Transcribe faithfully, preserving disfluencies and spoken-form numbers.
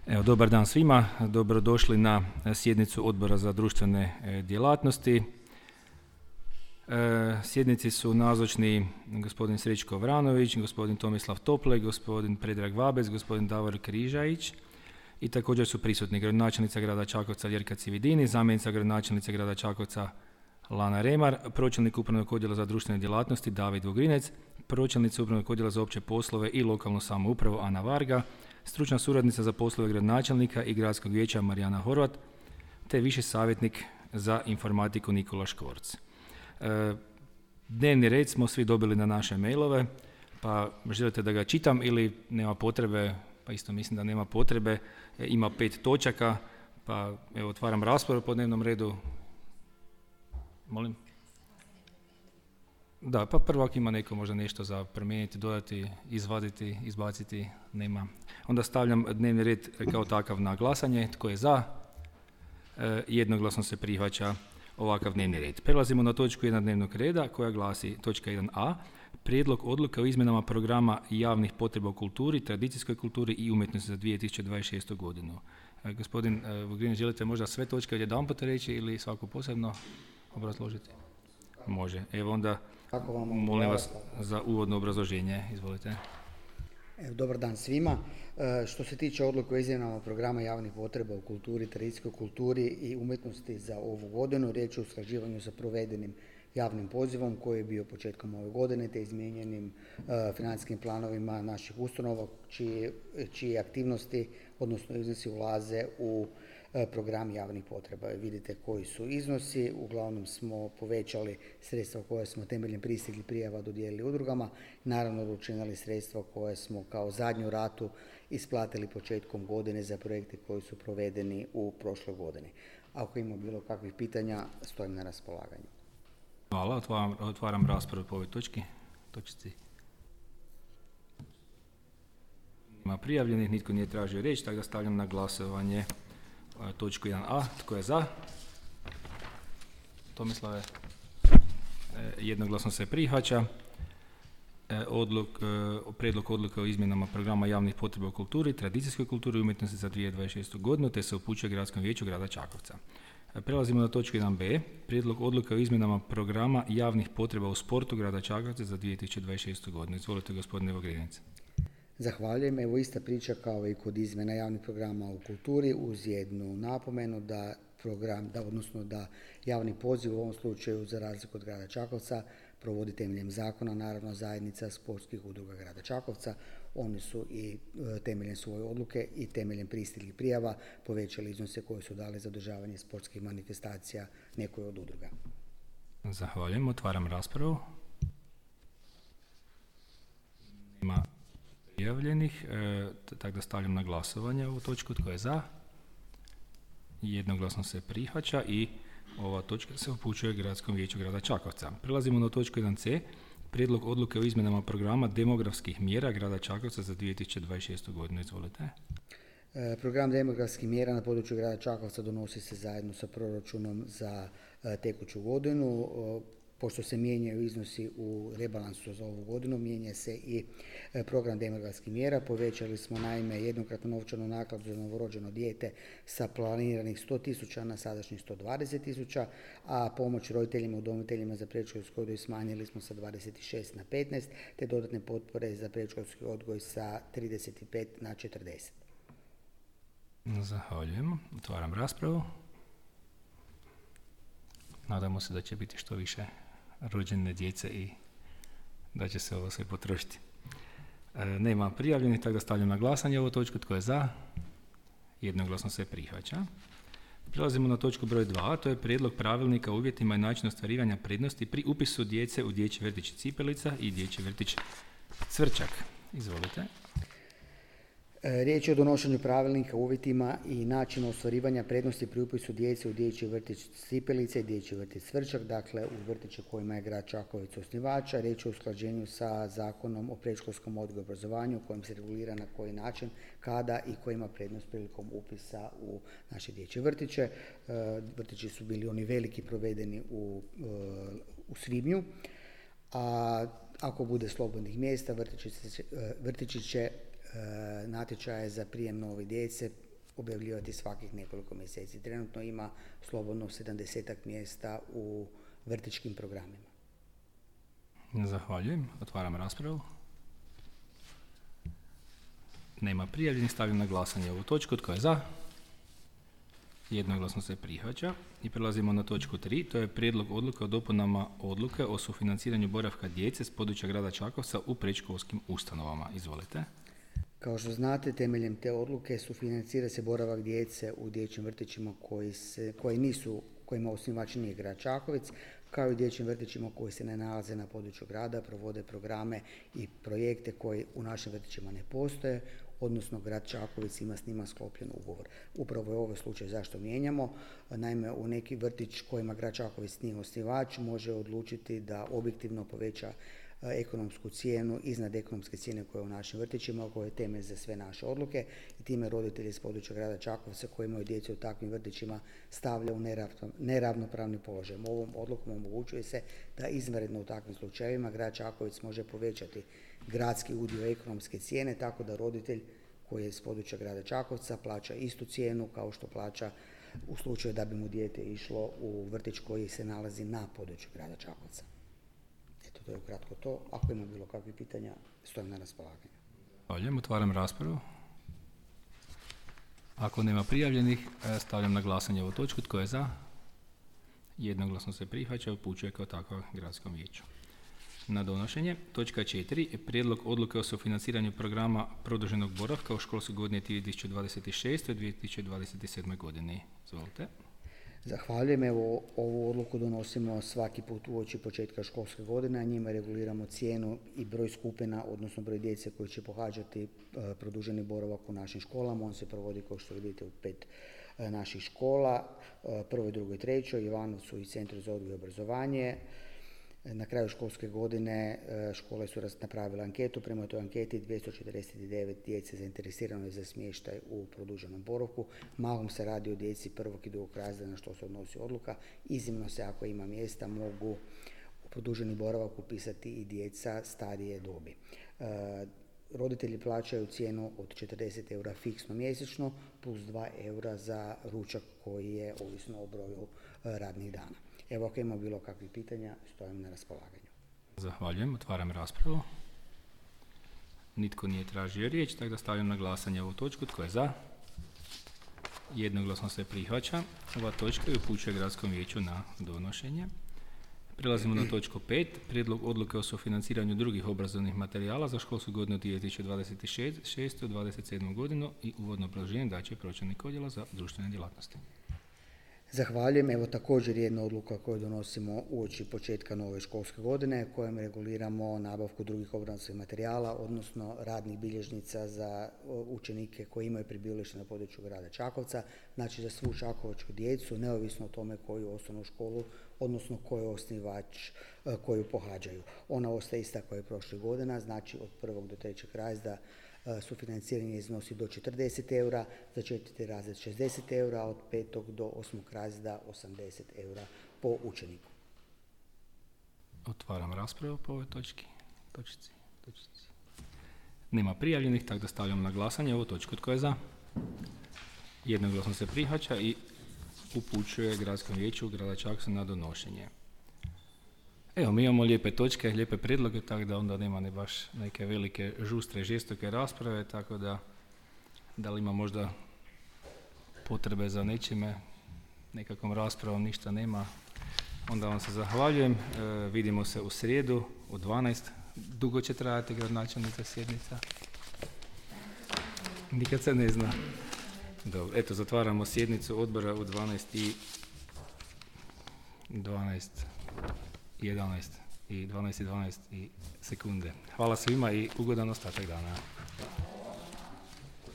Evo, dobar dan svima, dobrodošli na sjednicu Odbora za društvene djelatnosti. E, sjednici su nazočni gospodin Srećko Vranović, gospodin Tomislav Tople, gospodin Predrag Vabec, gospodin Davor Križajić i također su prisutni gradonačelnica grada Čakovca Ljerka Cividini, zamjenica gradonačelnice grada Čakovca Lana Remar, pročelnik upravnog odjela za društvene djelatnosti David Vugrinec, pročelnica upravnog odjela za opće poslove i lokalnu samoupravu Ana Varga, stručna suradnica za poslove gradonačelnika i gradskog vijeća Marijana Horvat, te viši savjetnik za informatiku Nikola Škvorc. E, dnevni red smo svi dobili na naše mailove, pa želite da ga čitam ili nema potrebe, pa isto mislim da nema potrebe, e, ima pet točaka, pa evo otvaram raspravu po dnevnom redu. Molim? Da, pa prvo ako ima neko možda nešto za promijeniti, dodati, izvaditi, izbaciti, nema. Onda stavljam dnevni red kao takav na glasanje. Tko je za? E, jednoglasno se prihvaća ovakav dnevni red. Prelazimo na točku jedan dnevnog reda koja glasi točka jedan a. Prijedlog odluke o izmjenama programa javnih potreba u kulturi, tradicijskoj kulturi i umjetnosti za dvije tisuće dvadeset šestu godinu. E, gospodin e, Vugrinec, želite možda sve točke jedanput reći ili svaku posebno obrazložiti? Može. Evo onda molim vas za uvodno obrazloženje. Izvolite. Evo, dobar dan svima. E, što se tiče odluke o izmjenama programa javnih potreba u kulturi, tradicijskoj kulturi i umjetnosti za ovu godinu, riječ je o usklađivanju sa provedenim javnim pozivom koji je bio početkom ove godine te izmijenjenim e, financijskim planovima naših ustanova čije, čije aktivnosti, odnosno iznosi ulaze u e, program javnih potreba. Vidite koji su iznosi, uglavnom smo povećali sredstva koje smo temeljem pristiglih prijava dodijelili udrugama, naravno učinili sredstva koje smo kao zadnju ratu isplatili početkom godine za projekte koji su provedeni u prošloj godini. Ako ima bilo kakvih pitanja, stojim na raspolaganju. Hvala, otvaram, otvaram raspravu po ovoj točki. Točci. Ima prijavljenih, nitko nije tražio riječ, tako da stavljam na glasovanje točku jedan a. Tko je za? Tomislave? E, jednoglasno se prihvaća. E, odluk, e, prijedlog odluke o izmjenama programa javnih potreba u kulturi, tradicijskoj kulturi i umjetnosti za dvije tisuće dvadeset šestu godinu, te se upućuje Gradskom vijeću grada Čakovca. Prelazimo na točku jedan b. Prijedlog odluke o izmjenama programa javnih potreba u sportu grada Čakovca za dvije tisuće dvadeset šestu godinu. Izvolite, gospodine Vugrinec. Zahvaljujem. Evo ista priča kao i kod izmjena javnih programa u kulturi uz jednu napomenu da program, da, odnosno da javni poziv u ovom slučaju za razliku od grada Čakovca provodi temeljem zakona, naravno zajednica sportskih udruga grada Čakovca. Oni su i e, temeljem svoje odluke i temeljem pristiglih prijava povećali iznose koje su dali za održavanje sportskih manifestacija nekoj od udruga. Zahvaljujem. Otvaram raspravu. Ima prijavljenih, e, tako da stavljam na glasovanje ovu točku. Tko je za? Jednoglasno se prihvaća i ova točka se upućuje Gradskom vijeću grada Čakovca. Prelazimo na točku jedan c. Prijedlog odluke o izmjenama programa demografskih mjera grada Čakovca za dvije tisuće dvadeset šestu godinu. Izvolite. E, program demografskih mjera na području grada Čakovca donosi se zajedno sa proračunom za e, tekuću godinu. E, Pošto se mijenjaju iznosi u rebalansu za ovu godinu, mijenja se i program demografskih mjera. Povećali smo naime jednokratnu novčanu nakladu za novorođeno dijete sa planiranih sto tisuća na sadašnjih sto dvadeset tisuća, a pomoć roditeljima i udomiteljima za predškolski odgoj smanjili smo sa dvadeset šest na petnaest, te dodatne potpore za predškolski odgoj sa trideset pet na četrdeset. Zahvaljujem. Otvaram raspravu. Nadamo se da će biti što više rođene djece i da će se ovo sve potrošiti. E, nema prijavljenih, tako da stavljam na glasanje ovu točku. Tko je za? Jednoglasno se prihvaća. Prelazimo na točku broj dva, to je prijedlog pravilnika o uvjetima i načinu ostvarivanja prednosti pri upisu djece u dječji vrtić Cipelica i dječji vrtić Cvrčak. Izvolite. Riječ je o donošenju pravilnika, uvjetima i načinu ostvarivanja prednosti pri upisu djece u dječji vrtić Cipelice i dječji vrtić Cvrčak, dakle u vrtiće kojima je grad Čakovec osnivača. Riječ je o usklađenju sa Zakonom o predškolskom odgoju i obrazovanju kojim se regulira na koji način, kada i ko ima prednost prilikom upisa u naše dječje vrtiće. Vrtići su bili oni veliki provedeni u, u svibnju, a ako bude slobodnih mjesta vrtići će, vrtići će natječaje za prijem nove djece objavljivati svakih nekoliko mjeseci. Trenutno ima slobodno sedamdesetak mjesta u vrtićkim programima. Zahvaljujem. Otvaram raspravu. Nema prijavljenih. Stavljam na glasanje ovu točku. Tko je za? Jednoglasno se prihvaća. I prelazimo na točku tri. To je prijedlog odluke o dopunama odluke o sufinanciranju boravka djece s područja grada Čakovca u predškolskim ustanovama. Izvolite. Kao što znate, temeljem te odluke sufinancira se boravak djece u dječjim vrtićima koji, se, koji nisu, kojima osnivač nije grad Čakovec, kao i dječjim vrtićima koji se ne nalaze na području grada, provode programe i projekte koji u našim vrtićima ne postoje, odnosno grad Čakovec ima s njima sklopljen ugovor. Upravo je ovaj slučaj zašto mijenjamo. Naime, u neki vrtić kojima grad Čakovec nije osnivač može odlučiti da objektivno poveća ekonomsku cijenu iznad ekonomske cijene koja je u našim vrtićima, koja je temelj za sve naše odluke i time roditelji s područja grada Čakovca koji imaju djecu u takvim vrtićima stavlja u neravnopravni položaj. Ovom odlukom omogućuje se da izvanredno u takvim slučajevima grad Čakovec može povećati gradski udio ekonomske cijene tako da roditelj koji je s područja grada Čakovca plaća istu cijenu kao što plaća u slučaju da bi mu dijete išlo u vrtić koji se nalazi na području grada Čakovca. To je ukratko to. Ako ima bilo kakvih pitanja, stojim na raspolaganju. Zahvaljujem, otvaram raspravu. Ako nema prijavljenih, stavljam na glasanje ovu točku. Tko je za? Jednoglasno se prihvaća, upućuje kao takav gradskom vijeću. Na donošenje. Točka četiri. Prijedlog odluke o sufinanciranju programa produženog boravka u školskoj godini dvije tisuće dvadeset šeste. dvije tisuće dvadeset sedme. godini. Izvolite. Zahvaljujem. Evo, ovu odluku donosimo svaki put uoči početka školske godine, a njima reguliramo cijenu i broj skupina, odnosno broj djece koji će pohađati e, produženi boravak u našim školama. On se provodi, kao što vidite, u pet e, naših škola, e, prvoj, drugoj, trećoj, Ivanovcu i Centru za odgoj i obrazovanje. Na kraju školske godine škole su napravile anketu, prema toj anketi dvjesto četrdeset devet djece zainteresirano je za smještaj u produženom boravku. Mahom se radi o djeci prvog i drugog razreda na što se odnosi odluka. Iznimno se, ako ima mjesta, mogu u produženi boravak upisati i djeca starije dobi. E, roditelji plaćaju cijenu od četrdeset eura fiksno mjesečno plus dva eura za ručak koji je ovisno o broju radnih dana. Evo, ako ima bilo kakvih pitanja, stojim na raspolaganju. Zahvaljujem, otvaram raspravu. Nitko nije tražio riječ, tako da stavljam na glasanje ovu točku. Tko je za? Jednoglasno se prihvaća. Ova točka je upućuje gradskom vijeću na donošenje. Prelazimo na točku pet. Prijedlog odluke o sufinanciranju drugih obrazovnih materijala za školsku godinu dvije tisuće dvadeset šeste. dvadeset sedme. godinu i uvodno obrazloženje daće pročelnik odjela za društvene djelatnosti. Zahvaljujem. Evo također jedna odluka koju donosimo uoči početka nove školske godine kojom reguliramo nabavku drugih obrazovnih materijala, odnosno radnih bilježnica za učenike koji imaju prebivalište na području grada Čakovca, znači za svu čakovačku djecu, neovisno o tome koju osnovnu školu, odnosno koji osnivač koju pohađaju. Ona ostaje ista kao i prošle godina, znači od prvog do trećeg razreda sufinanciranje iznosi do četrdeset eura, za četvrti razred šezdeset eura, a od petog do osmog razreda osamdeset eura po učeniku. Otvaram raspravu po ovoj točki. Točici. Točici. Nema prijavljenih, tako da stavljam na glasanje ovu točku. Tko je za? Jednoglasno se prihvaća i upućuje gradskom vijeću grada Čakovca na donošenje. Evo, mi imamo lijepe točke, lijepe prijedloge, tako da onda nema ne baš neke velike, žustre, žestoke rasprave, tako da da li ima možda potrebe za nečime, nekakvom raspravom, ništa nema. Onda vam se zahvaljujem, e, vidimo se u srijedu u dvanaest. Dugo će trajati gradonačelnica sjednica? Nikad se ne zna. Dobro, eto, zatvaramo sjednicu odbora u dvanaest i dvanaest. jedanaest i dvanaest i dvanaest i sekunde. Hvala svima i ugodan ostatak dana.